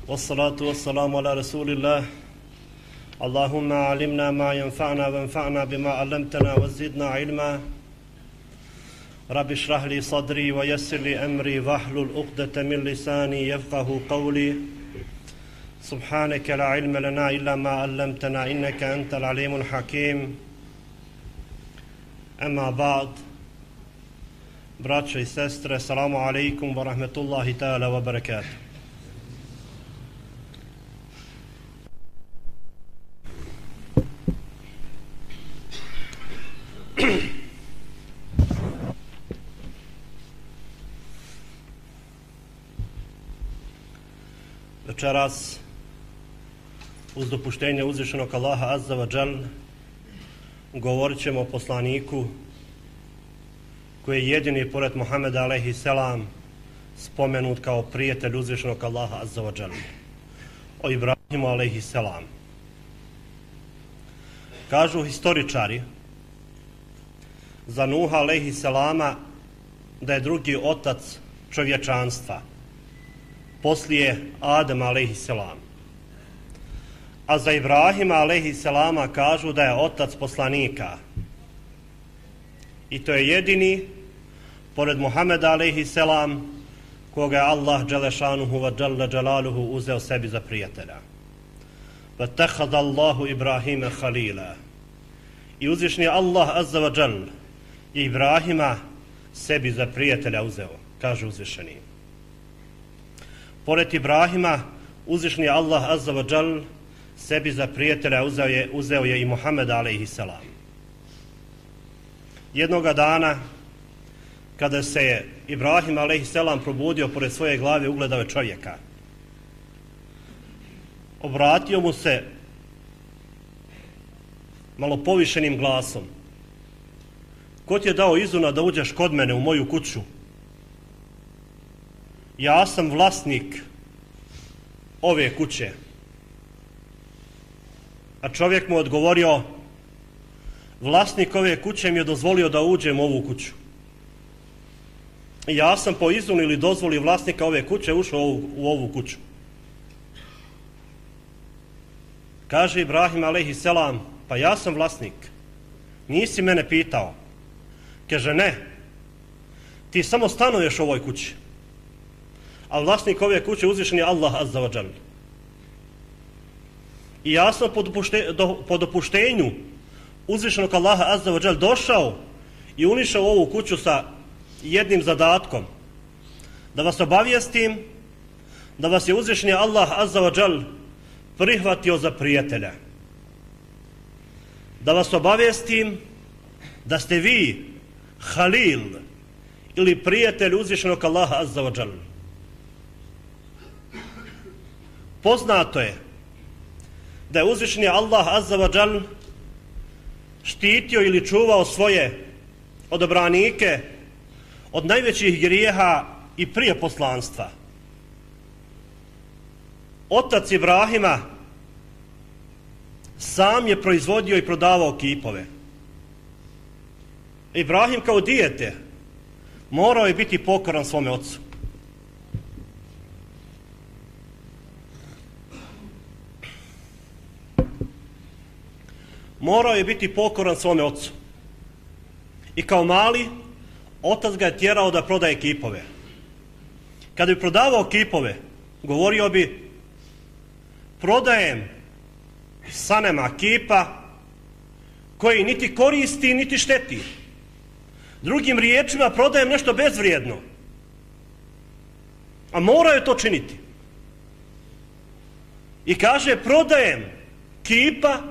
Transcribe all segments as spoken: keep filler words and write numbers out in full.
والصلاة والسلام على رسول الله اللهم علمنا ما ينفعنا وانفعنا بما علمتنا وزدنا علما رب اشرح لي صدري ويسر لي أمري واحلل عقدة من لساني يفقه قولي سبحانك لا علم لنا إلا ما علمتنا إنك أنت العليم الحكيم أما بعد braćo i sestre, assalamu alaikum wa rahmetullahi ta'ala wa barakatuh. Večeras, uz dopuštenje uzvišenog Allaha azza wa džal, govorit ćemo o poslaniku koji je jedini pored Muhameda alejhi selam spomenut kao prijatelj uzvišenog Allaha azza wa džal, o Ibrahimu alejhi selam. Kažu historičari za Nuha alejhi selama da je drugi otac čovječanstva poslije Adama alejhi selam. A za Ibrahima alejhi selama kažu da je otac poslanika. I to je jedini, pored Muhameda alejhi selam, koga je Allah dželešanuhu wa džalla džalaluhu uzeo sebi za prijatelja. وَتَخَذَ اللَّهُ إِبْرَاهِيمَ خَلِيلًا. I uzvišni Allah azza wa džal je Ibrahima sebi za prijatelja uzeo, kaže uzvišeni. Pored Ibrahima, uzvišni Allah azza wa džal sebi za prijatelja uzeo je, uzeo je i Muhameda alejhi selam. Jednoga dana, kada se je Ibrahim alejhi selam probudio, pored svoje glave ugledao je čovjeka. Obratio mu se malo povišenim glasom. Ko ti je dao izuna da uđeš kod mene u moju kuću? Ja sam vlasnik ove kuće. A čovjek mu odgovorio, vlasnik ove kuće mi je dozvolio da uđem u ovu kuću. I ja sam po izunu ili dozvoli vlasnika ove kuće ušao u ovu, u ovu kuću. Kaže Ibrahim alejhi selam, pa ja sam vlasnik. Nisi mene pitao. Kaže ne, ti samo stanuješ u ovoj kući. A vlasnik ove kuće uzvišen je Allah azza wa džal. I ja sam po, dopušte, do, po dopuštenju uzvišenog Allaha azza wa džal došao i unišao ovu kuću sa jednim zadatkom. Da vas obavijestim da vas je uzvišeni Allah azza wa džal prihvatio za prijatelja. Da vas obavijestim da ste vi Halil ili prijatelj uzvišenog Allaha azza wa džal. Poznato je da je uzvišeni Allah azza wa džal štitio ili čuvao svoje odobranike od najvećih grijeha i prije poslanstva. Otac Ibrahima sam je proizvodio i prodavao kipove. Ibrahim kao dijete morao je biti pokoran svome ocu. Morao je biti pokoran svome ocu. I kao mali, otac ga je tjerao da prodaje kipove. Kada bi prodavao kipove, govorio bi, prodajem sanema kipa koji niti koristi, niti šteti. Drugim riječima, prodajem nešto bezvrijedno. A morao je to činiti. I kaže, prodajem kipa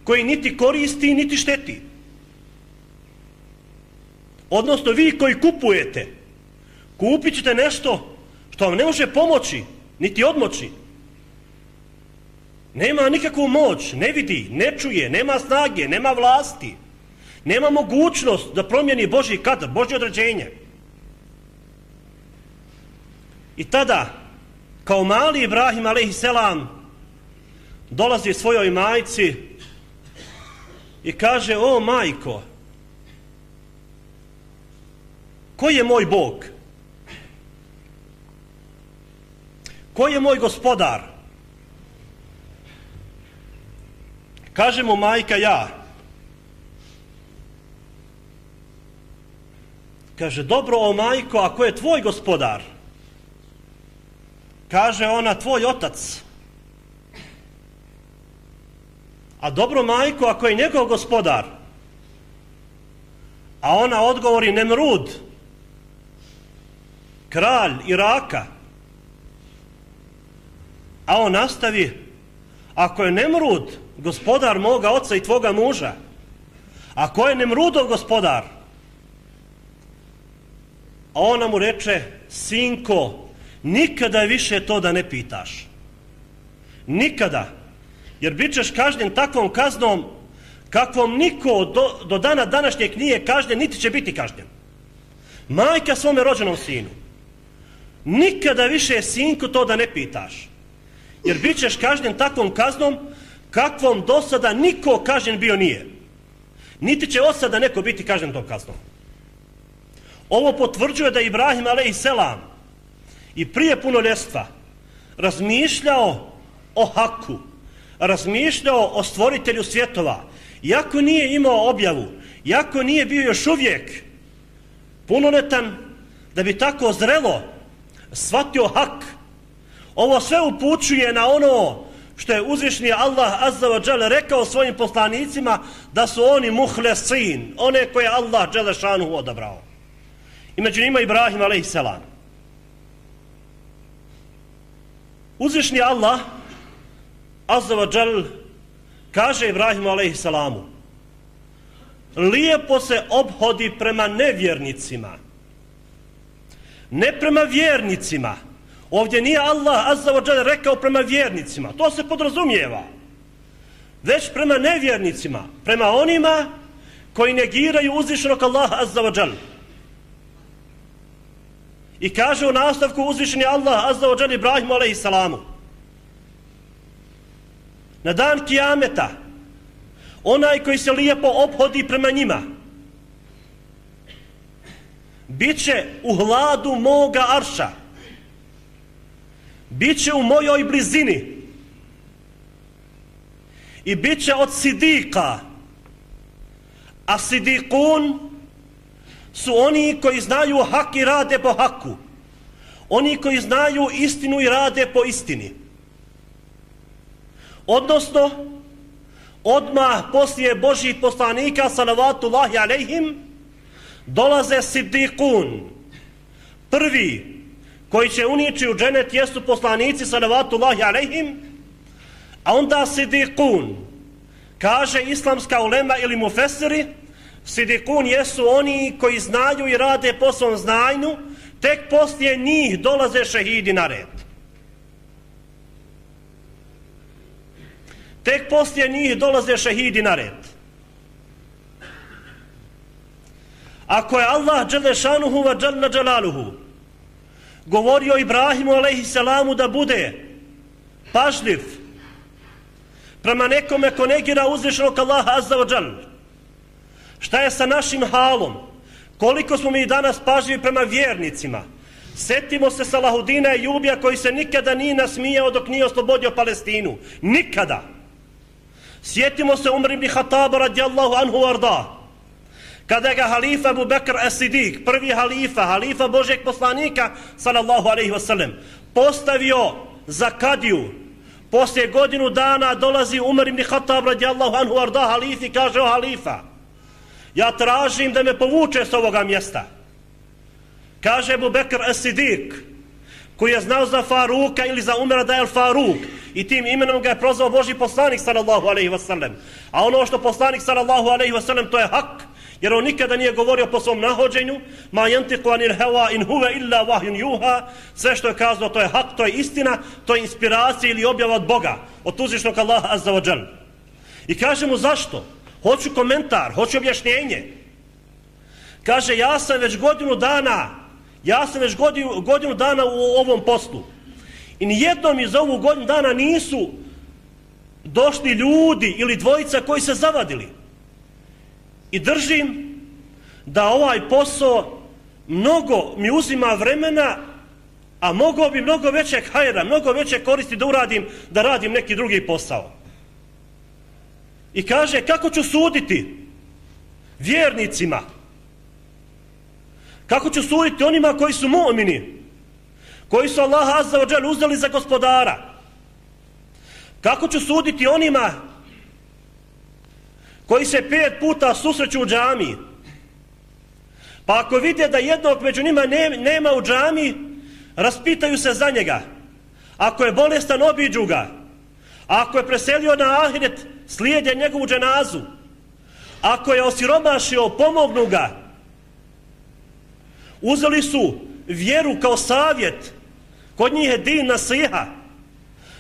koji niti koristi, niti šteti. Odnosno, vi koji kupujete, kupit ćete nešto što vam ne može pomoći, niti odmoći. Nema nikakvu moć, ne vidi, ne čuje, nema snage, nema vlasti, nema mogućnost da promijeni Božji kadar, Božje određenje. I tada, kao mali Ibrahim alejhi selam dolazi svojoj majci i kaže, o majko, ko je moj Bog? Ko je moj gospodar? Kaže mu majka: ja. Kaže: dobro, o majko, ako je tvoj gospodar? Kaže ona: tvoj otac. A dobro, majko, ako je njegov gospodar? A ona odgovori: Nemrud, kralj Iraka. A on nastavi: ako je Nemrud gospodar moga oca i tvoga muža, a ko je Nemrudov gospodar? A ona mu reče: sinko, nikada više to da ne pitaš. Nikada. Jer bit ćeš kažnjen takvom kaznom kakvom niko do, do dana današnjeg nije kažnjen, niti će biti kažnjen. Majka svome rođenom sinu: nikada više, sinko, to da ne pitaš. Jer bit ćeš kažnjen takvom kaznom kakvom do sada niko kažnjen bio nije. Niti će od sada neko biti kažnjen tom kaznom. Ovo potvrđuje da je Ibrahim alejselam i prije punoljetstva razmišljao o haku, razmišljao o stvoritelju svjetova, iako nije imao objavu, iako nije bio još uvijek punoljetan da bi tako zrelo shvatio hak. Ovo sve upućuje na ono što je uzvišni Allah azza wa dželle rekao svojim poslanicima, da su oni muhlesin, one koje Allah dželle šanuhu odabrao. I među njima Ibrahim alejselam. Uzvišni Allah azza wa dželle kaže Ibrahimu alejselamu: lijepo se ophodi prema nevjernicima, ne prema vjernicima. Ovdje nije Allah azza wa dželle rekao prema vjernicima, to se podrazumijeva, već prema nevjernicima, prema onima koji negiraju uzvišenog Allaha azza wa dželle. I kaže u nastavku uzvišeni Allah azza wa dželle Ibrahimu alejselamu: na dan kijameta onaj koji se lijepo ophodi prema njima bit će u hladu moga arša, bit će u mojoj blizini i bit će od sidika. A sidikun su oni koji znaju hak i rade po haku, oni koji znaju istinu i rade po istini. Odnosno, odmah poslije Božih poslanika salavatullahi alejhim dolaze sidikun. Prvi koji će unići u dženet jesu poslanici salavatullahi alejhim, a onda sidikun. Kaže islamska ulema ili mufesiri, sidikun jesu oni koji znaju i rade po svom znanju, tek poslije njih dolaze šehidi na red. Tek poslije njih dolaze šehidi na red. Ako je Allah dželle šanuhu wa dželle dželaluhu govorio Ibrahimu alejselamu da bude pažljiv prema nekome ko negira uzvišenog Allaha azza wa dželle, šta je sa našim halom? Koliko smo mi danas pažljivi prema vjernicima? Setimo se Salahudina Ejubija koji se nikada nije nasmijao dok nije oslobodio Palestinu. Nikada. Sjetimo se Umar ibn Khattaba radijallahu anhu arda, kada ga halifa Abu Bekr as-Siddiq, prvi halifa, halifa Božeg poslanika sallallahu alejhi ve sellem, postavio za kadiju. Poslije godinu dana dolazi Umar ibn Khattab radijallahu anhu arda halifi i kaže: o halifa, ja tražim da me povuče s ovoga mjesta. Kaže Abu Bekr as-Siddiq, koji je znao za Faruka ili za Umara da je Faruk, i tim imenom ga je prozvao Božji poslanik sallallahu alejhi ve sellem. A ono što poslanik sallallahu alejhi ve sellem, to je hak, jer on nikada nije govorio po svom nahođenju, ma yantiqu anil hawa in huwa illa wahyun yuha, sve što je kazao to je hak, to je istina, to je inspiracija ili objava od Boga, od uzvišnog Allaha azza wa dželle. I kaže mu zašto? Hoću komentar, hoću objašnjenje. Kaže: ja sam već godinu dana, ja sam već godinu, godinu dana u ovom poslu. I nijednom iz ovu godinu dana nisu došli ljudi ili dvojica koji se zavadili. I držim da ovaj posao mnogo mi uzima vremena, a mogao bi mnogo većeg hajra, mnogo veće koristi da uradim, da radim neki drugi posao. I kaže, kako ću suditi vjernicima? Kako ću suditi onima koji su mu'mini, koji su Allaha azza wa džal uzeli za gospodara? Kako ću suditi onima koji se pet puta susreću u džamiji? Pa ako vide da jednog među njima nema u džamiji, raspitaju se za njega. Ako je bolestan, obiđu ga. Ako je preselio na ahiret, slijede njegovu dženazu. Ako je osiromašio, pomognu ga. Uzeli su vjeru kao savjet. Kod njih je din nasiha.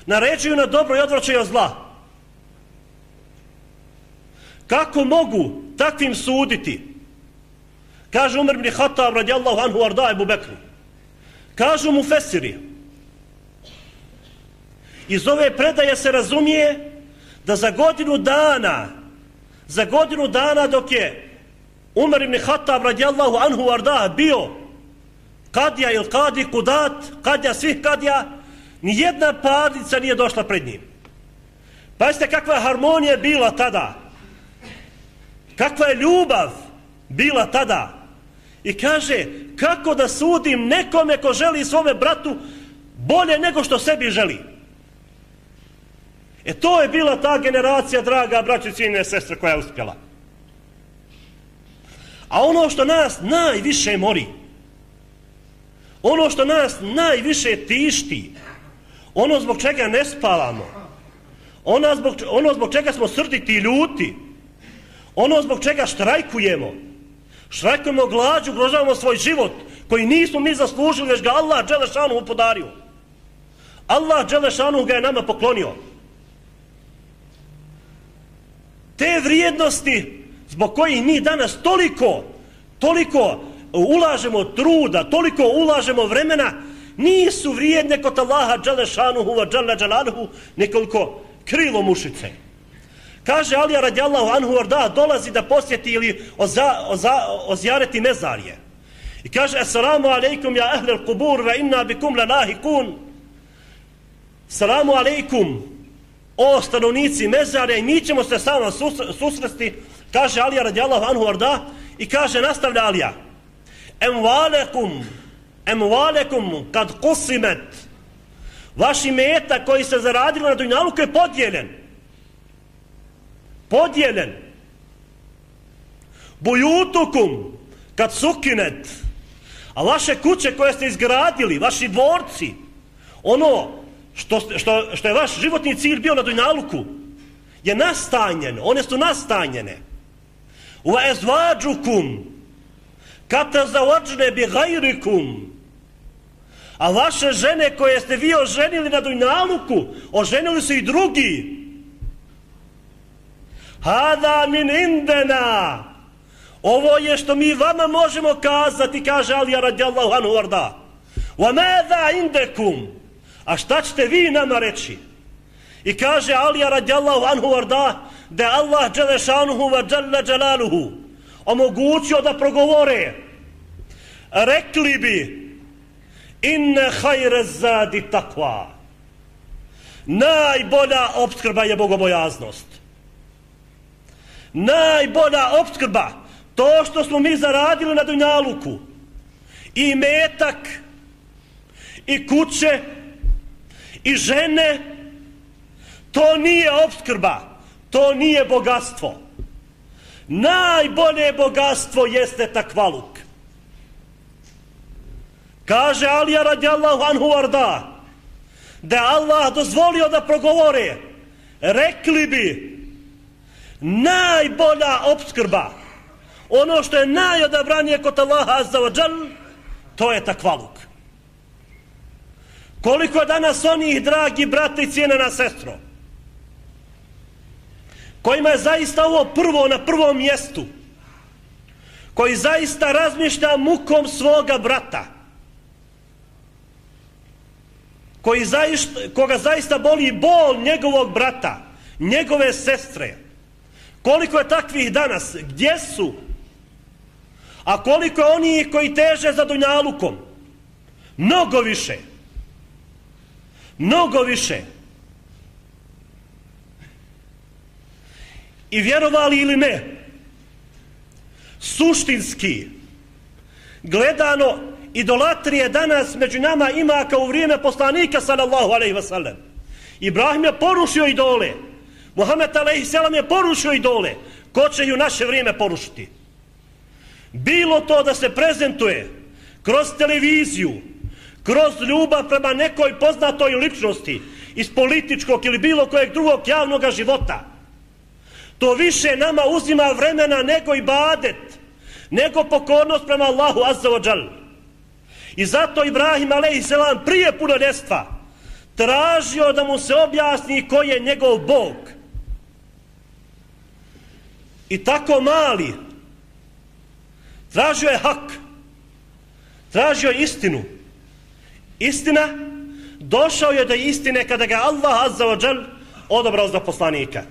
Naređuju na dobro i odvraćaju od zla. Kako mogu takvim suditi? Kaže Umar ibn Khattab radijallahu anhu arda Ebu Bekru. Kažu mu fesiri. Iz ove predaje se razumije da za godinu dana, za godinu dana dok je Umar ibn Khattab radijallahu anhu arda bio kadija ili kadi kudat, kadija svih kadija, nijedna parnica nije došla pred njim. Pazite kakva harmonija bila tada. Kakva je ljubav bila tada. I kaže, kako da sudim nekome ko želi svome bratu bolje nego što sebi želi. E to je bila ta generacija, draga braćo i cijene sestre, koja je uspjela. A ono što nas najviše mori, ono što nas najviše tišti, ono zbog čega ne spavamo, ono zbog, ono zbog čega smo srditi i ljuti, ono zbog čega štrajkujemo, štrajkujemo glađu, ugrožavamo svoj život koji nismo mi zaslužili, već ga Allah dželešanu podario. Allah dželešanu ga je nama poklonio. Te vrijednosti zbog kojih mi danas toliko, toliko ulažemo truda, toliko ulažemo vremena, nisu vrijedne kod Allaha dželešanuhu wa džele dželaluhu nekoliko krilo mušice. Kaže Alija radijallahu anhu arda, dolazi da posjeti ili oza, oza, ozjareti mezarje. I kaže, assalamu alaikum ja ahlel kubur ve inna bikum lanahikun. Assalamu alaikum, o stanovnici mezarja, i mi ćemo se sa vama susresti, kaže Alija radijallahu anhu arda, i kaže, nastavlja Alija, emvalekum, emvalekum kad kusimet, vaši meta koji se zaradili na dunjaluku je podijeljen. Podijeljen. Bujutukum kad sukinet, a vaše kuće koje ste izgradili, vaši dvorci, ono što, što, što je vaš životni cilj bio na dunjaluku, je nastanjeno, one su nastanjene. Wa ezvađukum kad tazavađne bi gajrikum, a vaše žene koje ste vi oženili na dunjaluku, oženili su i drugi. Hada min indena, ovo je što mi vama možemo kazati, kaže Alija radijallahu anhu arda. Wa mada indekum, a šta ćete vi nama reći? I kaže Alija radijallahu anhu arda, da je Allah dželešanuhu wa dželle dželaluhu omogućio da progovore. Rekli bi, inne hajre zadi takva, najbolja opskrba je bogobojaznost. Najbolja opskrba, to što smo mi zaradili na dunjaluku, i metak, i kuće, i žene, to nije opskrba, to nije bogatstvo. Najbolje bogatstvo jeste takvaluk. Kaže Alija radijallahu anhu arda, da je Allah dozvolio da progovore, rekli bi, najbolja opskrba, ono što je najodabranije kod Allaha azza wa džal, to je takvaluk. Koliko je danas onih, dragi brate i cijenena sestro, kojima je zaista ovo prvo na prvom mjestu, koji zaista razmišlja mukom svoga brata, koji zaista, koga zaista boli bol njegovog brata, njegove sestre. Koliko je takvih danas? Gdje su? A koliko je onih koji teže za dunjalukom? Mnogo više. Mnogo više. I vjerovali ili ne, suštinski gledano, idolatrije danas među nama ima kao u vrijeme poslanika sallallahu alejhi ve sellem. Ibrahim je porušio idole, Muhammed alejhi selam je porušio idole. Ko će i u naše vrijeme porušiti? Bilo to da se prezentuje kroz televiziju, kroz ljubav prema nekoj poznatoj ličnosti iz političkog ili bilo kojeg drugog javnog života, to više nama uzima vremena nego ibadet, nego pokornost prema Allahu azza wa džal. I zato Ibrahim alejhi selam prije punoljetstva tražio da mu se objasni ko je njegov Bog. I tako mali tražio je hak, tražio je istinu. Istina, došao je do istine kada ga Allah azza wa džal odabrao za poslanika.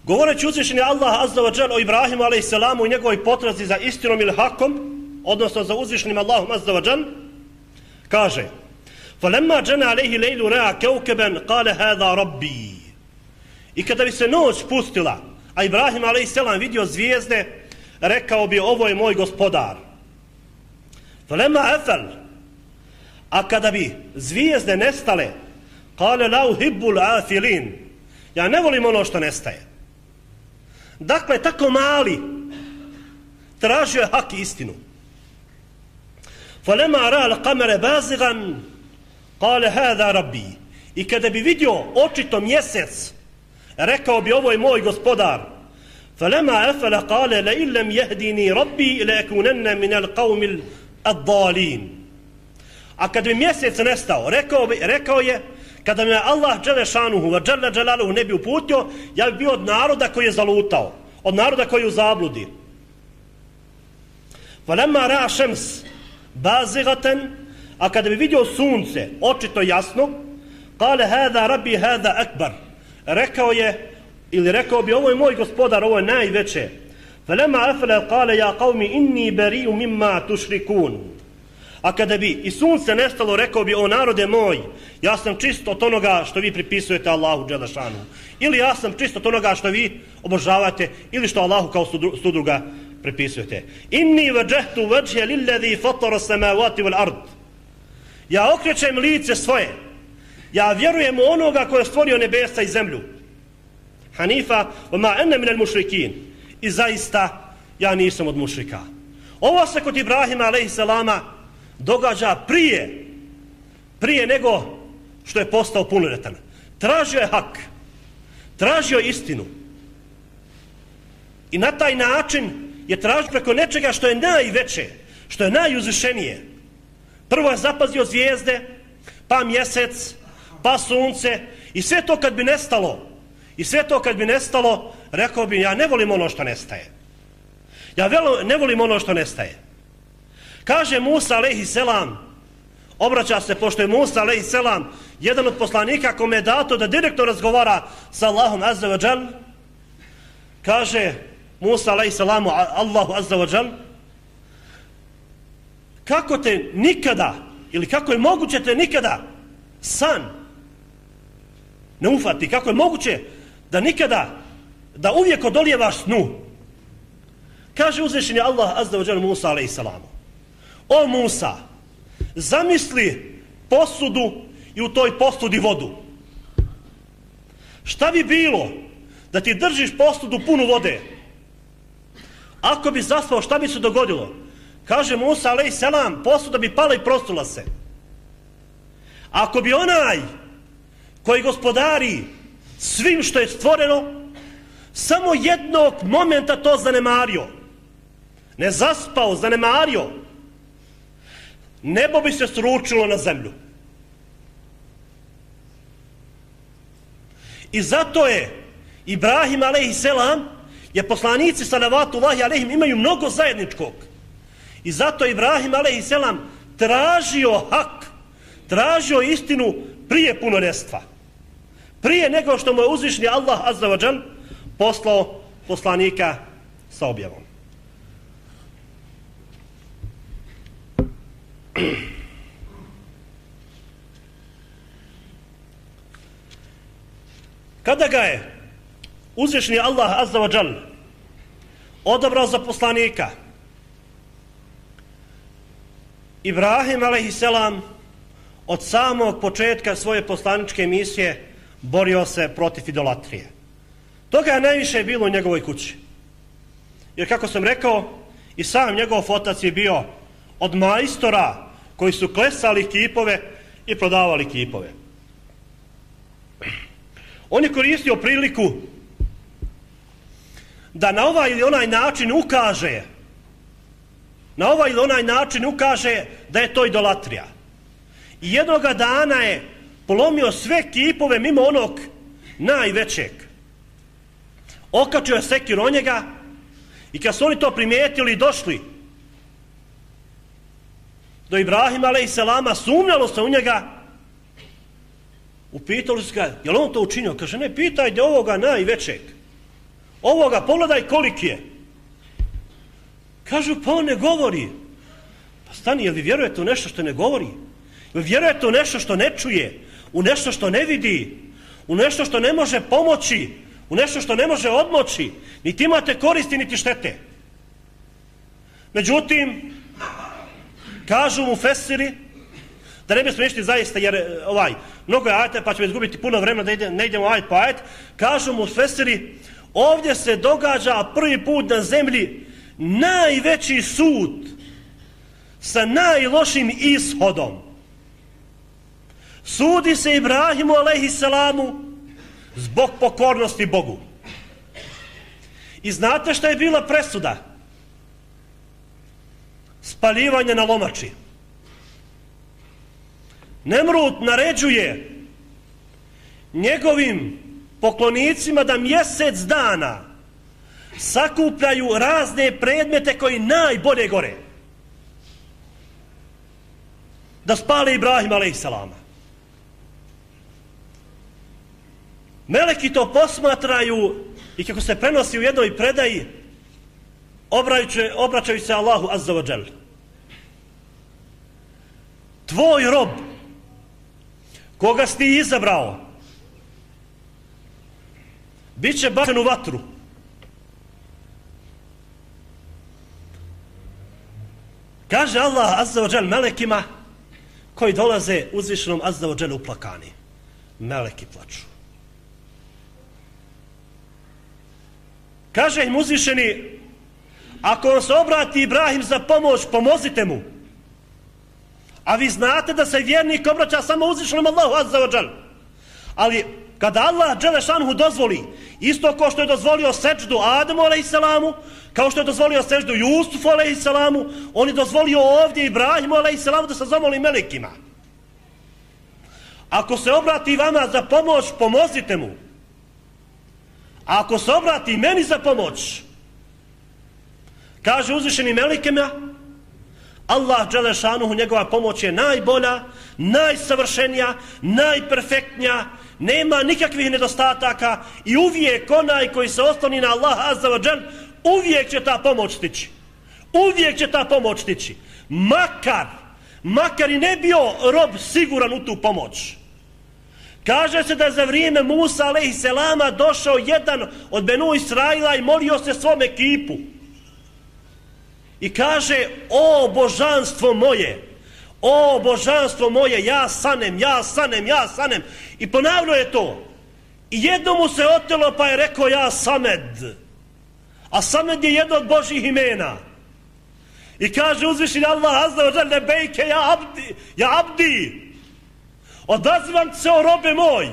Govoreći uzvišeni Allah azza wa džal o Ibrahimu alejhi selamu i njegovoj potrazi za istinom ili hakom, odnosno za uzvišenim Allahom azza wa džal, kaže: فَلَمَّا جَنَا عَلَيْهِ لَيْلُ رَأَى كَوْكَبًا قَالَ هَذَا رَبِّي. I kada bi se noć spustila, a Ibrahim alejhi selam vidio zvijezde, rekao bi: ovo je moj gospodar. فَلَمَّا أَفَلْ. A kada bi zvijezde nestale, قَالَ لَا أُحِبُّ الْآفِلِينَ. Ja ne volim ono što nestaje. Dakle, tako mali tražio je hak i istinu. فَلَمَّا رَأَى الْقَمَرَ بَازِغًا قَالَ هَذَا رَبِّي. I kada bi vidio očito mjesec, rekao bi: ovo je moj gospodar. فَلَمَّا أَفَلَ قَالَ لَئِنْ لَمْ يَهْدِنِي رَبِّي لَأَكُونَنَّ مِنَ الْقَوْمِ الضَّالِينَ. A kada bi mjesec nestao, rekao, bi, rekao je: kada me Allah dželle šanuhu ve dželle dželaluhu ne bi uputio, ja bi bio od naroda koji je zalutao, od naroda koji je u zabludi. فَلَمَّا رَأَى شَمْسَ بَازِغَةً. A kada bi vidio sunce očito jasno, قَالَ هَذَا رَبِّي هَذَا أَكْبَرُ. Rekao je, ili rekao bi: ovo je moj gospodar, ovo je najveće. فَلَمَّا أَفْلَ قَالَ يَا قَوْمِ إِنِّي بَرِيءٌ مِمَّا تُشْرِكُونَ. A kada bi i sunce nestalo, rekao bi: o narode moj, ja sam čist od onoga što vi pripisujete Allahu dželle šanuhu. Ili ja sam čist od onoga što vi obožavate, ili što Allahu kao sudruga pripisujete. Inni vajjahtu vajhe lilladhi fatara samawati wal ard. Ja okrećem lice svoje, ja vjerujem u onoga koji je stvorio nebesa i zemlju. Hanifa wa ma ana min al mushrikin. I zaista ja nisam od mušrika. Ovo se kod Ibrahima alejhi selama događa prije prije nego što je postao punoljetan. Tražio je hak, tražio je istinu. I na taj način je tražio preko nečega što je najveće, što je najuzvišenije. Prvo je zapazio zvijezde, pa mjesec, pa sunce, i sve to kad bi nestalo, i sve to kad bi nestalo, rekao bi: ja ne volim ono što nestaje. Ja ne volim ono što nestaje. Kaže Musa alejhi selam, obraća se, pošto je Musa alejhi selam jedan od poslanika kome je dato da direktno razgovara sa Allahom azza wa džal, kaže Musa alejhi selamu Allahu azza wa džal: kako te nikada, ili kako je moguće te nikada san ne ufati, kako je moguće da nikada, da uvijek odolijevaš snu? Kaže uzvišeni Allah azza wa džal Musa alejhi selamu: o Musa, zamisli posudu i u toj posudi vodu. Šta bi bilo da ti držiš posudu punu vode? Ako bi zaspao, šta bi se dogodilo? Kaže Musa alejhi selam: posuda bi pala i prostula se. Ako bi onaj koji gospodari svim što je stvoreno samo jednog momenta to zanemario, ne zaspao, zanemario, nebo bi se sručilo na zemlju. I zato je Ibrahim alejhi selam, je poslanici salavatullahi alejhim imaju mnogo zajedničkog. I zato je Ibrahim alejhi selam tražio hak, tražio istinu prije punoljetstva. Prije nego što mu je uzvišni Allah azza wa džal poslao poslanika sa objavom. Kada ga je uzvišeni Allah azza wa džal odabrao za poslanika, Ibrahim alejhiselam od samog početka svoje poslaničke misije borio se protiv idolatrije. Toga je najviše bilo u njegovoj kući. Jer kako sam rekao, i sam njegov otac je bio od majstora koji su klesali kipove i prodavali kipove. On je koristio priliku da na ovaj ili onaj način ukaže na ovaj ili onaj način ukaže da je to idolatrija. I jednoga dana je polomio sve kipove mimo onog najvećeg. Okačio je sekir o njega i kad su oni to primijetili i došli do Ibrahima alejselama, sumnjalo se u njega, upitali su ga, je li on to učinio? Kaže, ne, pitajte ovoga najvećeg. Ovoga, pogledaj koliki je. Kažu, pa on ne govori. Pa stani, jel vi vjerujete u nešto što ne govori? Jel vjerujete u nešto što ne čuje? U nešto što ne vidi? U nešto što ne može pomoći? U nešto što ne može odmoći? Niti imate koristi, niti štete. Međutim, kažu mu fesiri, da ne bismo išli zaista, jer ovaj, mnogo je ajeta, pa ćemo izgubiti puno vremena da ide, ne idemo ajet po ajet, kažu mu fesiri, ovdje se događa prvi put na zemlji najveći sud sa najlošim ishodom. Sudi se Ibrahimu alejhisselamu zbog pokornosti Bogu. I znate šta je bila presuda? Spaljivanje na lomači. Nemrut naređuje njegovim poklonicima da mjesec dana sakupljaju razne predmete koji najbolje gore. Da spale Ibrahima alejhisselama. Meleki to posmatraju i kako se prenosi u jednoj predaji, obraćaju se Allahu azza wa džal. Tvoj rob, koga si ti izabrao, bit će bačen u vatru. Kaže Allah azza wa džal melekima koji dolaze uzvišenom azza wa džal uplakani. Meleki plaču. Kaže im uzvišeni, ako vam se obrati Ibrahim za pomoć, pomozite mu. A vi znate da se vjernik obraća samo uzvišenom Allahu azza wa džal. Ali kada Allah dželešanhu dozvoli, isto kao što je dozvolio seđdu Adamu alejhisselamu, kao što je dozvolio seđdu Jusufu alejhisselamu, on je dozvolio ovdje Ibrahimu alejhisselamu da se zamoli melekima. Ako se obrati vama za pomoć, pomozite mu. A ako se obrati meni za pomoć, kaže uzvišeni melekima, Allah dželešanuhu, njegova pomoć je najbolja, najsavršenija, najperfektnija, nema nikakvih nedostataka i uvijek onaj koji se osloni na Allah azza wa džal, uvijek će ta pomoć stići. Uvijek će ta pomoć stići. Makar, makar i ne bio rob siguran u tu pomoć. Kaže se da za vrijeme Musa alejhisselama došao jedan od Benu Israila i molio se svom ekipu. I kaže, o božanstvo moje, o božanstvo moje, ja sanem, ja sanem, ja sanem. I ponavljao je to. I jedno mu se otelo pa je rekao ja Samed. A Samed je jedno od Božih imena. I kaže uzvišeni Allah azza wa džal lebejke ja abdi, ja abdi. Odazivam se o robe moj.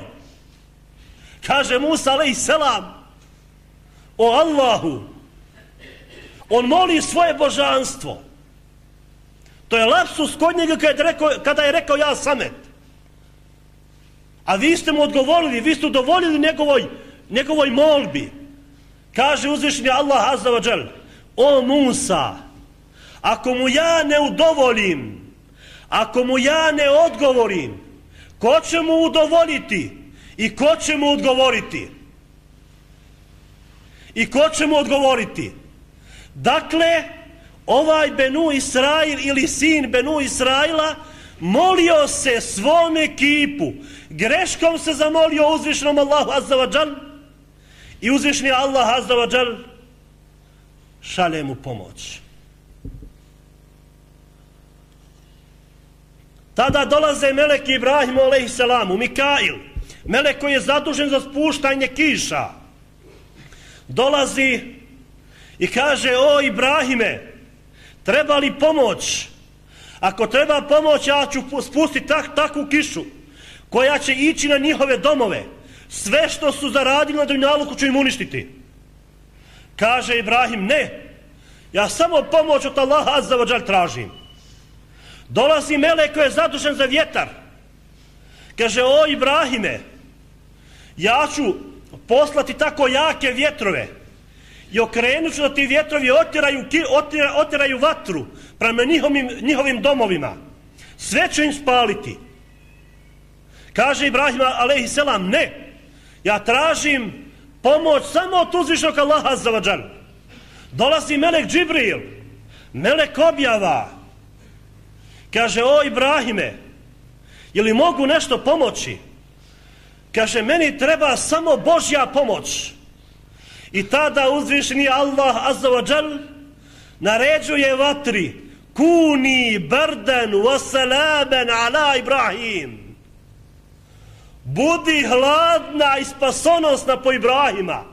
Kaže Musa alejhisselam, o Allahu, on moli svoje božanstvo. To je lapsus kod njega kada je rekao, kada je rekao ja Samet. A vi ste mu odgovorili, vi ste udovoljili njegovoj, njegovoj molbi. Kaže uzvišeni Allah azza wa džal, o Musa, ako mu ja ne udovolim, ako mu ja ne odgovorim, ko će mu udovoljiti i ko će mu odgovoriti? I ko će mu odgovoriti? Dakle, ovaj Benu Israil ili sin Benu Israila molio se svom ekipu, greškom se zamolio uzvišenom Allahu azza wa džal i uzvišeni Allah azza wa džal šalje mu pomoć. Tada dolaze meleki Ibrahimu alejhisselamu, Mikail, melek koji je zadužen za spuštanje kiša. Dolazi i kaže: o Ibrahime, treba li pomoć? Ako treba pomoć, ja ću spustiti tak, takvu kišu koja će ići na njihove domove. Sve što su zaradili na dunjaluku ću im uništiti. Kaže Ibrahim: ne, ja samo pomoć od Allaha azza wa džal tražim. Dolazi melek koji je zadužen za vjetar. Kaže: o Ibrahime, ja ću poslati tako jake vjetrove i okrenut ću da ti vjetrovi otiraju, otiraju, otiraju vatru prema njihovim, njihovim domovima. Sve ću im spaliti. Kaže Ibrahim alejhisselam: ne, ja tražim pomoć samo od uzvišenog Allaha azza wa džal. Dolazi melek Džibril, melek objava. Kaže: o Ibrahime, je li mogu nešto pomoći? Kaže: meni treba samo Božja pomoć. I tada uzvišeni Allah azza wa džal naređuje vatri: kuni bardan wa salaman ala Ibrahim. Budi hladna i spasonosna po Ibrahima.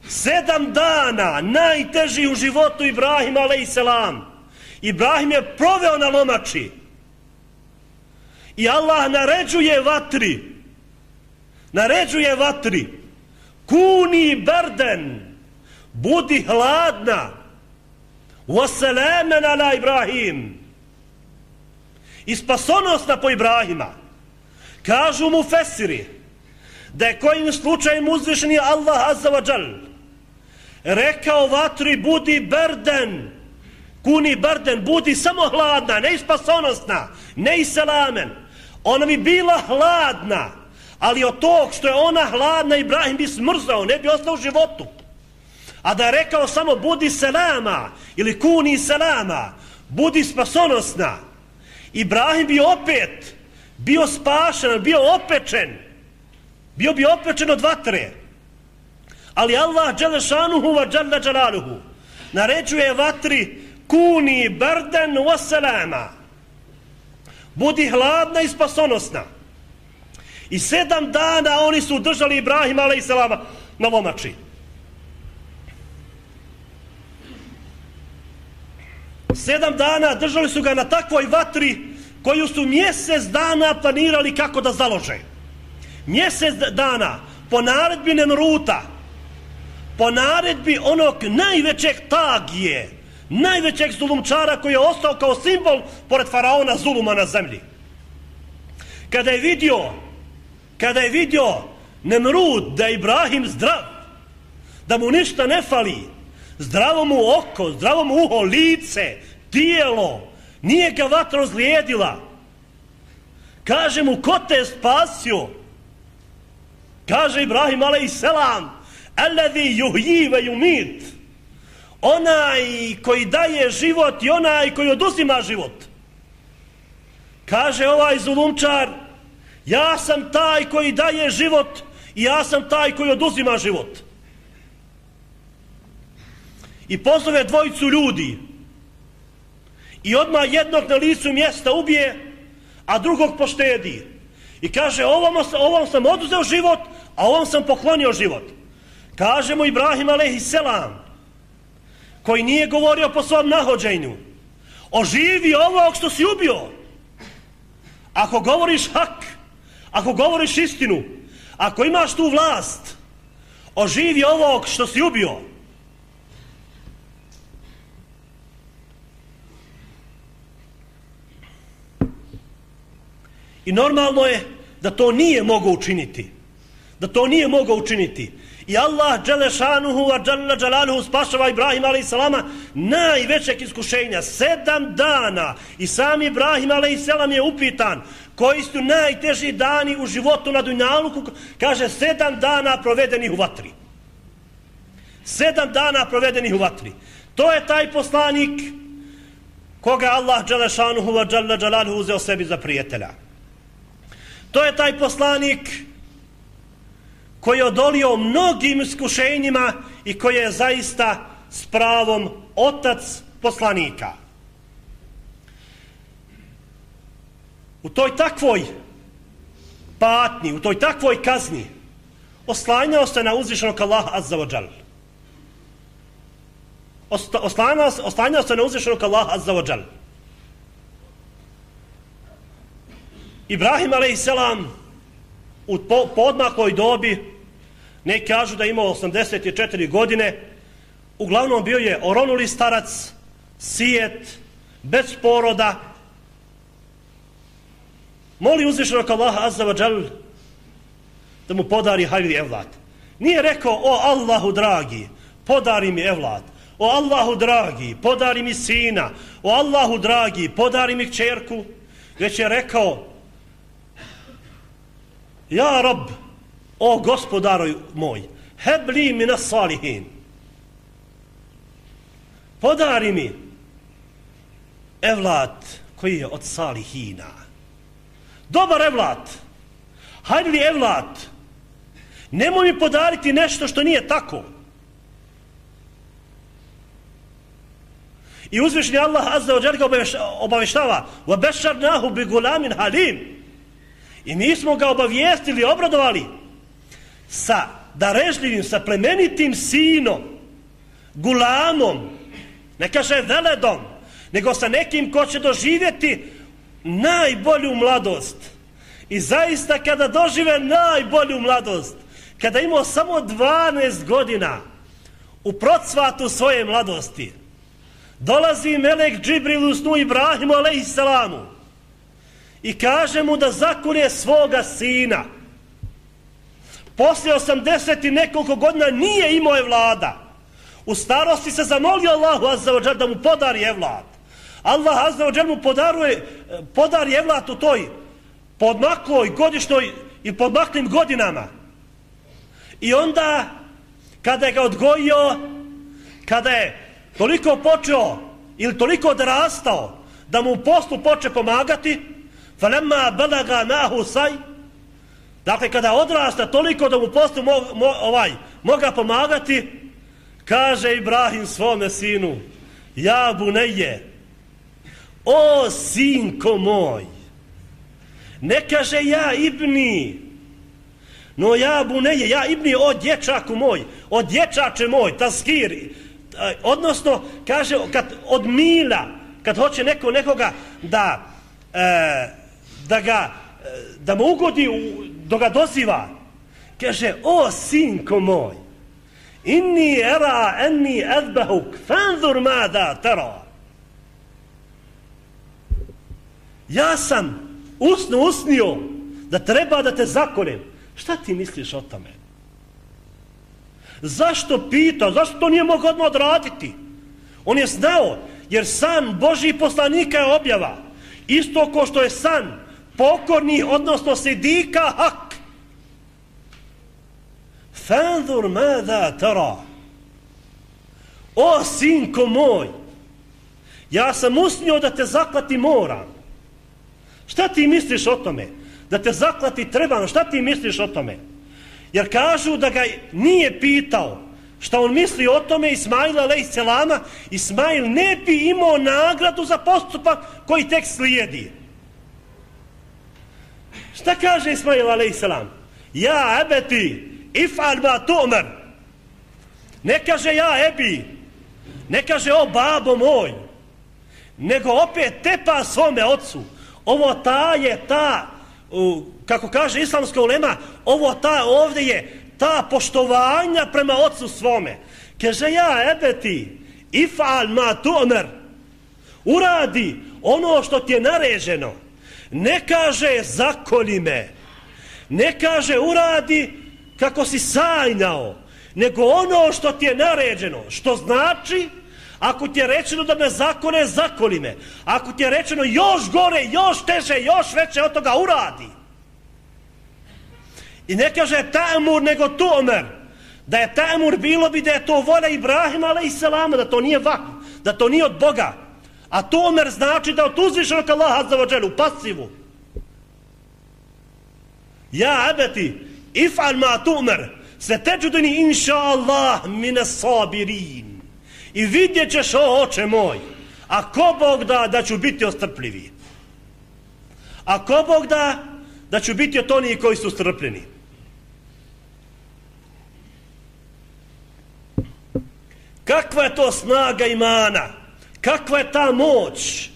Sedam dana najteži u životu Ibrahima alejhisselam. Ibrahim je proveo na lomači. I Allah naređuje vatri, naređuje vatri: kuni bardan, budi hladna, wa salaman ala Ibrahim, i spasonosna po Ibrahima. Kažu mu fesiri da je kojim slučajem uzvišeni Allah azza wa džal rekao vatri: budi bardan, kuni bardan, budi samo hladna, ne i spasonosna, ne i salamen. Ona bi bila hladna, ali od tog što je ona hladna Ibrahim bi smrzao, ne bi ostao u životu. A da je rekao samo budi selama ili kuni selama, budi spasonosna, Ibrahim bi opet bio spašen, bio opečen, bio bi opečen od vatre. Ali Allah dželle šanuhu wa dželle džalaluhu naređuje vatri: kuni bardan wa salama, budi hladna i spasonosna. I sedam dana oni su držali Ibrahima alejhisselama na lomači. Sedam dana držali su ga na takvoj vatri koju su mjesec dana planirali kako da založe. Mjesec dana po naredbi Nemruta, po naredbi onog najvećeg tagije, najvećeg zulumčara koji je ostao kao simbol pored faraona zuluma na zemlji. Kada je vidio, kada je vidio Nemrut da je Ibrahim zdrav, da mu ništa ne fali, zdravo mu oko, zdravo mu uho, lice, tijelo, nije ga vatra ozlijedila, kaže mu: ko te je spasio? Kaže Ibrahim alejhisselam: alladhi yuhyi wa yumit, onaj koji daje život i onaj koji oduzima život. Kaže ovaj zulumčar: ja sam taj koji daje život i ja sam taj koji oduzima život. I pozove dvojicu ljudi i odmah jednog na licu mjesta ubije, a drugog poštedi. I kaže: ovom, ovom sam oduzeo život, a ovom sam poklonio život. Kaže mu Ibrahim alejhisselam, koji nije govorio po svom nahođenju: oživi ovog što si ubio. Ako govoriš hak, ako govoriš istinu, ako imaš tu vlast, oživi ovog što si ubio. I normalno je da to nije mogao učiniti. Da to nije mogao učiniti. I Allah dželle šanuhu wa dželle džalaluhu spašava Ibrahima alejhisselama najvećeg iskušenja. Sedam dana. I sam Ibrahim alejhisselam je upitan: koji su najteži dani u životu na dunjaluku, kaže sedam dana provedenih u vatri. Sedam dana provedenih u vatri. To je taj poslanik koga Allah dželešanuhu wa dželle dželaluhu uzeo sebi za prijatelja. To je taj poslanik koji je odolio mnogim iskušenjima i koji je zaista s pravom otac poslanika. U toj takvoj patnji, u toj takvoj kazni oslanjao se na uzvišenog Allaha azza wa džal. Oslanjao, oslanjao se na uzvišenog Allaha azza wa džal. Ibrahim alejselam u podmakloj dobi, neki kažu da je imao osamdeset četiri godine, uglavnom bio je oronuli starac, sijet, bez poroda. Moli uzvišenog Allaha azza wa džal da mu podari hajri evlad. Nije rekao, o Allahu dragi, podari mi evlad. O Allahu dragi, podari mi sina. O Allahu dragi, podari mi kćerku. Već je rekao, ja Rab, o gospodaru moj, hebli mi nas salihin. Podari mi evlad koji je od salihina. Dobar evlad. Hajde li evlad. Nemoj mi podariti nešto što nije tako. I uzvišni Allah azza wa dželle ga obaveštava وَبَشَّرْنَاهُ بِغُلَامٍ حَلِيمٍ. I mi smo ga obavijestili, obradovali sa darežljivim, sa plemenitim sinom, gulamom, ne kaže veledom, nego sa nekim ko će doživjeti najbolju mladost. I zaista kada dožive najbolju mladost, kada imao samo dvanaest godina u procvatu svoje mladosti, dolazi melek Džibril u snu Ibrahimu alejselamu i kaže mu da zakolje svoga sina. Poslije osamdeset i nekoliko godina nije imao evlada. U starosti se zamolio Allahu azza wa džal da mu podari evlad. Allah azza wa džal mu podaruje, podari evlad u toj podmakloj godišnjoj i podmaklim godinama. I onda kada je ga odgojio, kada je toliko počeo ili toliko odrastao da mu u poslu poče pomagati, falemma balaga nahu saj, dakle kada odrasta toliko da mu u poslu mo, mo, ovaj, moga pomagati, kaže Ibrahim svome sinu, ja buneje, o sinko moj, ne kaže ja ibni, no ja buneje, ja ibni, o dječaku moj, o dječače moj, taskiri, odnosno kaže kad od mila, kad hoće neko nekoga da e, da ga da mu ugodi, da ga doziva, kaže o sinko moj, inni era enni azbahuk fanzur mada tara. Ja sam usno usnio da treba da te zakoljem. Šta ti misliš o tome? Zašto pita? Zašto to nije mogao odmah odraditi? On je znao, jer san Božji poslanika je objava. Isto ko što je san pokorni, odnosno sidika hak. Fanzur mada tara. O sinko moj, ja sam usnio da te zaklati moram. Šta ti misliš o tome? Da te zaklati trebam, šta ti misliš o tome? Jer kažu da ga nije pitao šta on misli o tome Ismaila alejselama, Ismail ne bi imao nagradu za postupak koji tek slijedi. Šta kaže Ismail alejselam? Ja ebeti, if'al ma tu'mar. Ne kaže ja ebi, ne kaže o babo moj, nego opet tepa svome ocu. Ovo ta je ta, kako kaže islamska ulema, ovo ta ovdje je ta poštovanja prema ocu svome. Kaže ja ebeti, if'al ma tu'mar. Uradi ono što ti je naređeno. Ne kaže zakolji me, ne kaže uradi kako si sanjao, nego ono što ti je naređeno. Što znači, Ako ti je rečeno da me zakone, zakoni me. Ako ti je rečeno još gore, još teže, još veće od toga uradi. I ne kaže ta'mur nego tu'mer. Da je ta'mur bilo bi da je to volja Ibrahima alejselama, da to nije vah, da to nije od Boga. A tu'mer znači da od uzvišenog Allaha azza wa dželle u pasivu. Ja abeti, if'al ma tu'mer, se teđudini inša Allah mine sabirin. I vidjet ćeš, o oče moj, a ko Bog da, da ću biti ostrpljivi. A ko Bog da, da ću biti od onih koji su strpljeni. Kakva je to snaga imana? Kakva je ta moć?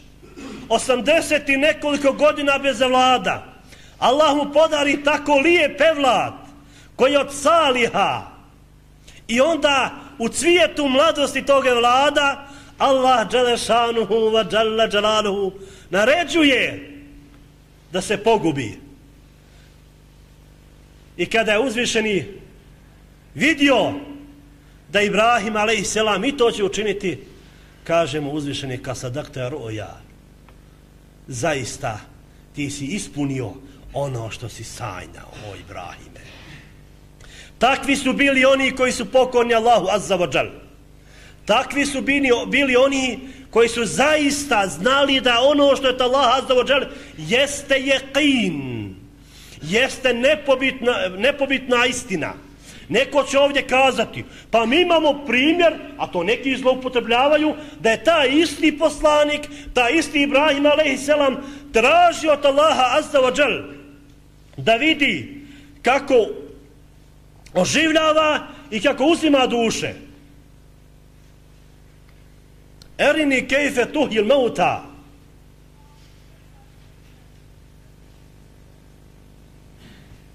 osamdeset i nekoliko godina bez vlada. Allah mu podari tako lijep evlad koji je od saliha. I onda u cvijetu mladosti toga vlada Allah dželešanuhu wa džalla džalaluhu naređuje da se pogubi. I kada je uzvišeni vidio da Ibrahim alejselam i to će učiniti, kaže mu uzvišeni kasadakta roja, zaista ti si ispunio ono što si sanjao, o Ibrahime. Takvi su bili oni koji su pokorni Allahu azza wa džal. Takvi su bili, bili oni koji su zaista znali da ono što je Allah azza wa džal jeste jeqin, jeste nepobitna, nepobitna istina. Neko će ovdje kazati, pa mi imamo primjer, a to neki zloupotrebljavaju, da je taj isti poslanik, taj isti Ibrahim alejselam tražio od Allaha azza wa džal da vidi kako oživljava i kako uzima duše. Erini kejfe tuhil mauta.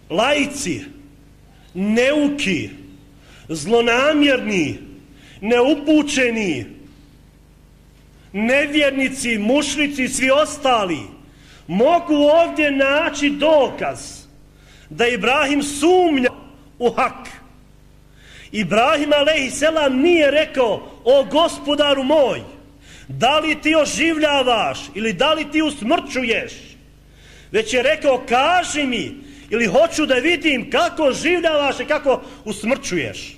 Laici, neuki, zlonamjerni, neupućeni, nevjernici, mušrici i svi ostali mogu ovdje naći dokaz da Ibrahim sumnja u hak. Ibrahim alejselam nije rekao, o gospodaru moj, da li ti oživljavaš ili da li ti usmrćuješ, već je rekao, kaži mi ili hoću da vidim kako oživljavaš i kako usmrćuješ.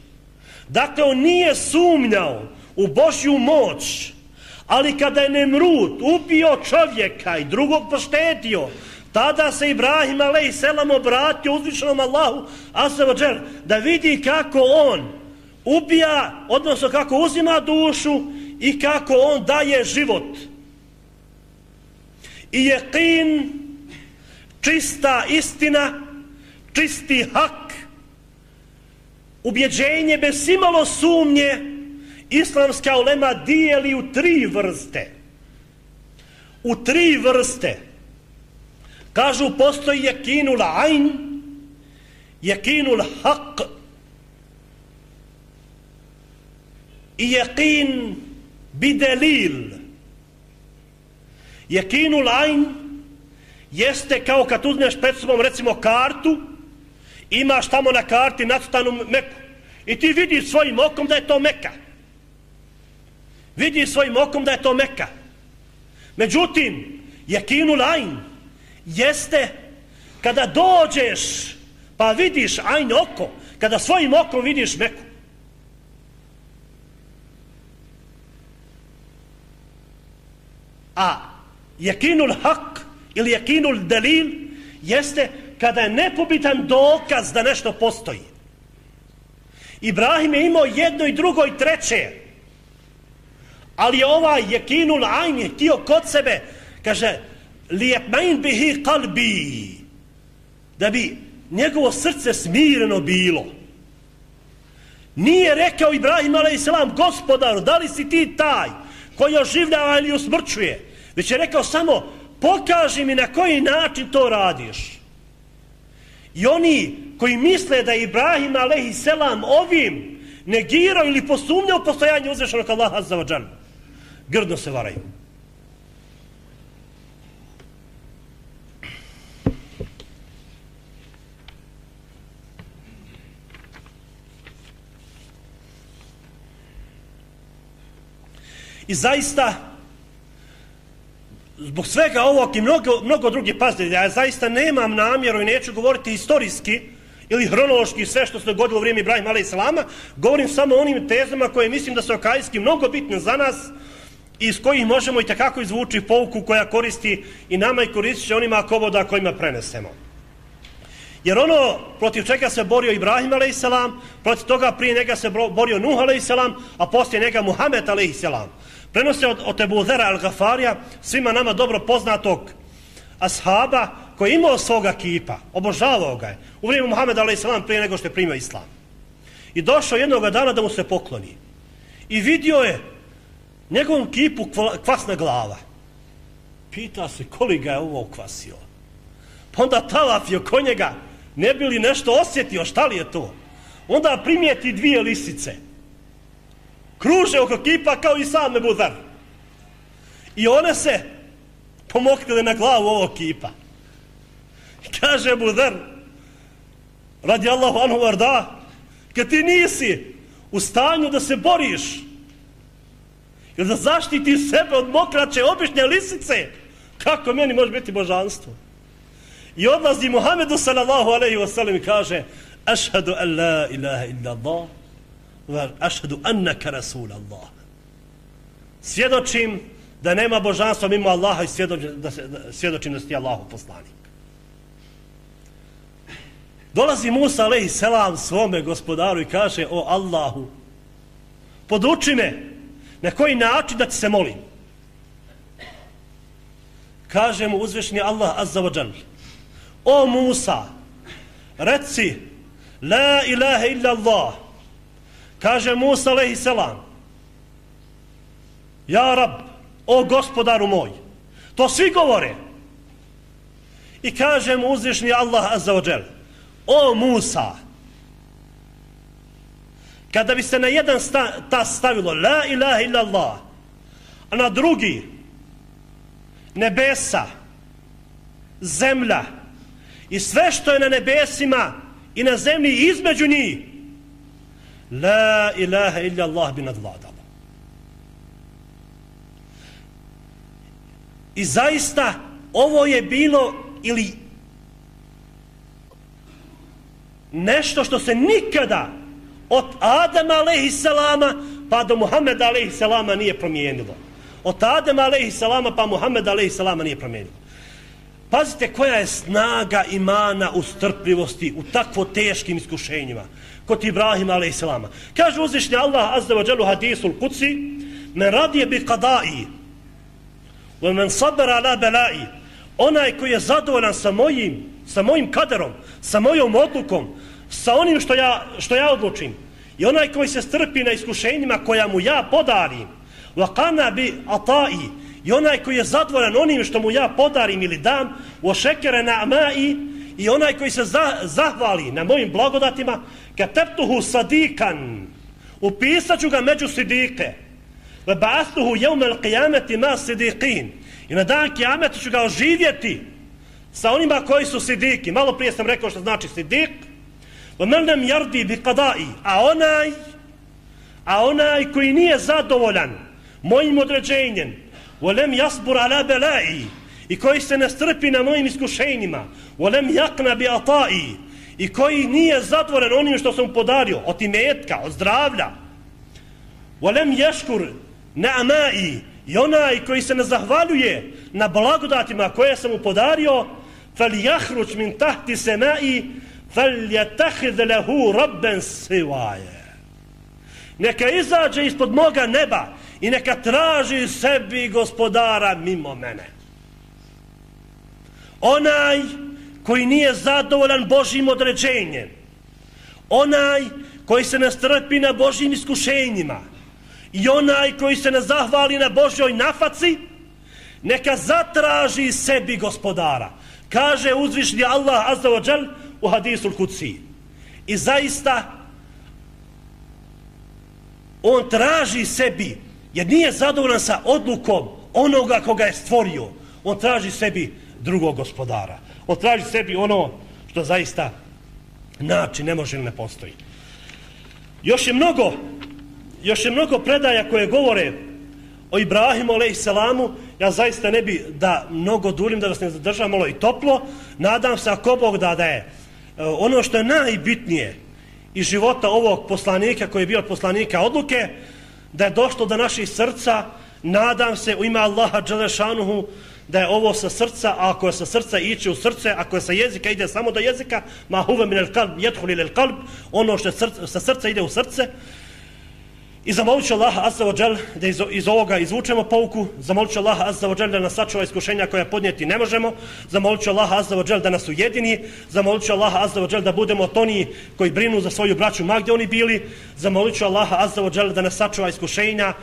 Dakle, on nije sumnjao u Božju moć, ali kada je Nemrut ubio čovjeka i drugog poštetio, tada se Ibrahim alejselam obratio uzvišenom Allahu azza wa džel da vidi kako on ubija, odnosno kako uzima dušu i kako on daje život. I jeqin, čista istina, čisti hak, ubjeđenje bez imalo sumnje, islamska ulema dijeli u tri vrste. U tri vrste. Kažu, postoji jekinul ajn, jekinul haq i jekin bidelil. Jekinul ajn jeste kao kad uzmeš pred sobom recimo kartu, imaš tamo na karti nacrtanu Meku i ti vidiš svojim okom da je to Meka. Vidiš svojim okom da je to Meka. Međutim, jekinul ajn jeste kada dođeš pa vidiš ajn oko, kada svojim okom vidiš Meku. A jekinul hak ili jekinul delil jeste kada je nepobitan dokaz da nešto postoji. Ibrahim je imao jedno i drugo i treće, ali je ovaj jekinul ajn je htio kod sebe, kaže, lijepmain bihi kalbi, da bi njegovo srce smireno bilo. Nije rekao Ibrahim alejselam, gospodaru, da li si ti taj koji oživljava ili usmrćuje, već je rekao samo, pokaži mi na koji način to radiš. I oni koji misle da je Ibrahim alejselam ovim negirao ili posumnjao postojanje uzvišenog Allaha azza wa džal, grdno se varaju. I zaista, zbog svega ovog i mnogo, mnogo drugih, pazite, ja zaista nemam namjeru i neću govoriti historijski ili hronološki sve što se dogodilo u vrijeme Ibrahima alejhi govorim samo o onim tezama koje mislim da su akajski mnogo bitne za nas i iz kojih možemo i takako izvući pouku koja koristi i nama i koristit će onima kovoda kojima prenesemo. Jer ono protiv čega se borio Ibrahim alejhi selam, protiv toga prije njega se borio Nuh alejhi selam, a poslije njega Muhammed alejhi selam. Prenose od, od Ebu Zera al-Gafarija, svima nama dobro poznatog ashaba, koji je imao svoga kipa, obožavao ga je u vrijeme Muhammeda alejhi selam prije nego što je primio islam. I došao jednog dana da mu se pokloni. I vidio je njegovom kipu kvasna glava. Pita se koliko ga je ovo kvasio. Pa onda talafio ko njega, ne bi li nešto osjetio, šta li je to? Onda primijeti dvije lisice. Kruže oko kipa kao i sam Ebu Zer. I one se pomoktile na glavu ovog kipa. Kaže Ebu Zer, radi Allahu anhu varda, kad ti nisi u stanju da se boriš ili da zaštiti sebe od mokraće obične lisice, kako meni može biti božanstvo? I odlazi Muhammedu sallallahu alejhi ve sellem i kaže ašhadu an la ilaha illa Allah wa ašhadu annaka rasul Allah. Svjedočim da nema božanstva mimo Allaha i svjedočim da, se, da, svjedočim da si ti Allahov poslanik. Dolazi Musa alejhi selam svome gospodaru i kaže o Allahu, poduči me na koji način da ti se molim. Kaže mu uzvišeni Allah azza wa džal, o Musa, reci la ilaha illa Allah. Kaže Musa alejhi selam, ja Rab, o gospodaru moj. To svi govore. I kaže mu uzvišeni Allah azza wa džal, o Musa, kada bi se na jedan sta, ta stavilo la ilaha illa Allah, a na drugi nebesa, zemlja i sve što je na nebesima i na zemlji između njih, la ilaha illa Allah bi nadvladalo. I zaista ovo je bilo ili nešto što se nikada od Adama alejhi selama pa do Muhameda alejhi selama nije promijenilo. Od Adama alejhi selama pa Muhameda alejhi selama nije promijenilo. Pazite koja je snaga imana u strpljivosti u takvo teškim iskušenjima kod Ibrahima alejhi selama. Kaže uzvišeni Allah azza wa dželle hadisul kudsi, men radiye bi qada'i wa men sabara ala bala'i. Onaj koji je zadovoljan sa mojim sa mojim kaderom, sa mojom odlukom, sa onim što ja, što ja odlučim. I onaj koji se strpi na iskušenjima koja mu ja podarim, وَقَنَا بِ أَطَائِ. I onaj koji je zadovoljan onim što mu ja podarim ili dam, وَشَكَرَ نَعْمَائِ. I onaj koji se za, zahvali na mojim blagodatima, كَتَبْتُهُ صَدِيقًا. Upisat ću ga među sidike. وَبَعَثْتُهُ يَوْمَ الْقِيَامَةِ مَا صِدِيقِينَ. I na dan kijameta ću ga oživjeti sa onima koji su sidiki. Malo prije sam rekao što znači sidik. وَمَنْ لَمْ يَرْدِي بِقَدَائِ. A onaj, a onaj koji nije zadovoljan mojim određenjem, وَلَمْ يَصْبُرْ عَلَى بَلَائِ. I koji se ne strpi na mojim iskušenjima, وَلَمْ يَقْنَ بِأَطَائِ. I koji nije zadovoljan onim što sam podario, od imetka, od zdravlja, وَلَمْ يَشْكُرْ نَعْمَائِ. I onaj koji se ne zahvaljuje na blagodatima koje sam mu podario, فَلْيَحْرُجْ مِنْ تَحْتِ سَمَائِ فَلْيَتَحِذْ لَهُ رَبًّا سِوَايَ. Neka izađe ispod moga neba i neka traži sebi gospodara mimo mene. Onaj koji nije zadovoljan Božjim određenjem, onaj koji se ne strpi na Božjim iskušenjima i onaj koji se ne zahvali na Božjoj nafaci, neka zatraži sebi gospodara. Kaže uzvišni Allah azza wa džal u hadisul kudsi. I zaista on traži sebi, jer nije zadovoljan sa odlukom onoga koga je stvorio. On traži sebi drugog gospodara. On traži sebi ono što zaista način ne može ili ne postoji. Još je mnogo još je mnogo predaja koje govore o Ibrahimu alejselamu, ja zaista ne bi da mnogo duljim, da vas ne zadržavam malo i toplo. Nadam se ako Bog da da je ono što je najbitnije iz života ovog poslanika koji je bio od poslanika odluke, da je došlo do naših srca. Nadam se u ime Allaha dželešanuhu da je ovo sa srca, a ako je sa srca iće u srce, ako je sa jezika ide samo do jezika, ma huve min al kalb yadkhulu ila al qalb, ono što je srce, sa srca ide u srce. I zamolit ću Allaha azza wa džel da iz, iz ovoga izvučemo pouku, zamolit ću Allaha azza wa džel da nas sačuva iskušenja koja podnijeti ne možemo, zamolit ću Allaha azza wa džel da nas ujedini, zamolit ću Allaha azza wa džel da budemo od onih koji brinu za svoju braću ma gdje oni bili, zamolit ću Allaha azza wa džel da nas sačuva iskušenja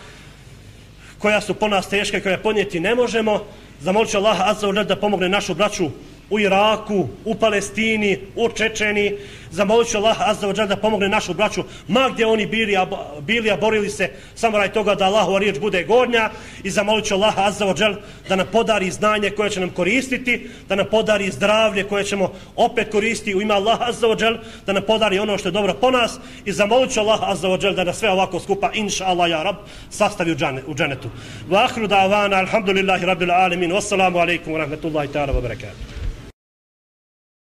koja su po nas teške, koja podnijeti ne možemo, zamolit ću Allaha azza wa džel da pomogne našu braću u Iraku, u Palestini, u Čečeni. Zamolit ću Allaha azza wa džel da pomogne našu braću ma gdje oni bili, a, bili, a borili se samo radi toga da Allahova riječ bude gornja. I zamolit ću Allaha azza wa džel da nam podari znanje koje će nam koristiti, da nam podari zdravlje koje ćemo opet koristiti u ime Allaha azza wa džel, da nam podari ono što je dobro po nas. I zamolit ću Allaha azza wa džel da nas sve ovako skupa, inša Allah ja rab, sastavi u, džane, u dženetu. Wa ahru da'vana, alhamdulillahi rabbil alamin, wassalamu alaikum wa rahmatullahi ta'ala wa barakatuh.